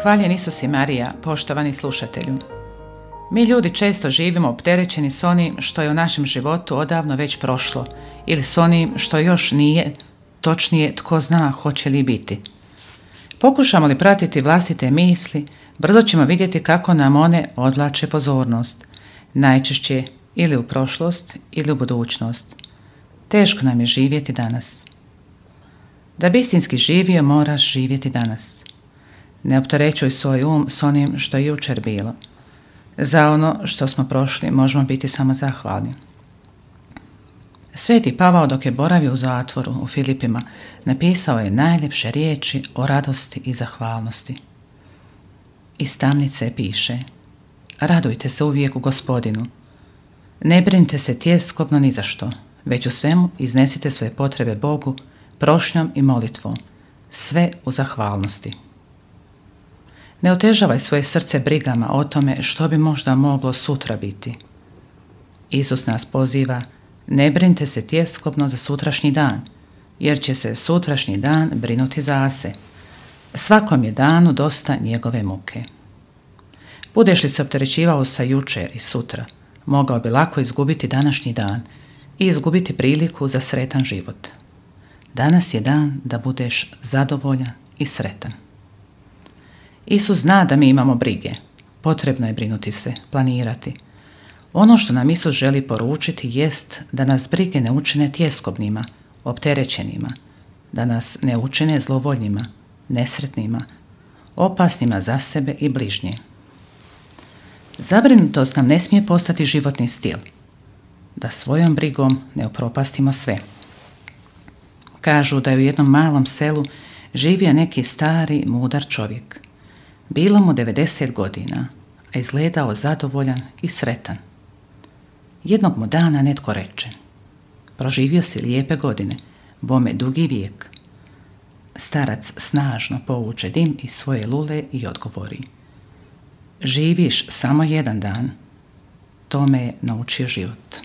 Hvaljen Isus i Marija, poštovani slušatelju. Mi ljudi često živimo opterećeni s onim što je u našem životu odavno već prošlo ili s onim što još nije, točnije tko zna hoće li biti. Pokušamo li pratiti vlastite misli, brzo ćemo vidjeti kako nam one odvlače pozornost, najčešće ili u prošlost ili u budućnost. Teško nam je živjeti danas. Da bi istinski živio, moraš živjeti danas. Ne opterećuj svoj s onim što je jučer bilo. Za ono što smo prošli možemo biti samo zahvalni. Sveti Pavao dok je boravio u zatvoru u Filipima napisao je najljepše riječi o radosti i zahvalnosti. Iz tamnice piše: radujte se uvijek u Gospodinu. Ne brinite se tjeskobno ni za što, već u svemu iznesite svoje potrebe Bogu prošnjom i molitvom, sve u zahvalnosti. Ne otežavaj svoje srce brigama o tome što bi možda moglo sutra biti. Isus nas poziva: ne brinite se tjeskobno za sutrašnji dan, jer će se sutrašnji dan brinuti za se. Svakom je danu dosta njegove muke. Budeš li se opterećivao sa jučer i sutra, mogao bi lako izgubiti današnji dan i izgubiti priliku za sretan život. Danas je dan da budeš zadovoljan i sretan. Isus zna da mi imamo brige. Potrebno je brinuti se, planirati. Ono što nam Isus želi poručiti jest da nas brige ne učine tjeskobnima, opterećenima, da nas ne učine zlovoljnima, nesretnima, opasnima za sebe i bližnje. Zabrinutost nam ne smije postati životni stil, da svojom brigom ne upropastimo sve. Kažu da je u jednom malom selu živio neki stari, mudar čovjek. Bilo mu 90 godina, a izgledao zadovoljan i sretan. Jednog mu dana netko reče: proživio si lijepe godine, bome dugi vijek. Starac snažno povuče dim iz svoje lule i odgovori: živiš samo jedan dan. To me je naučio život.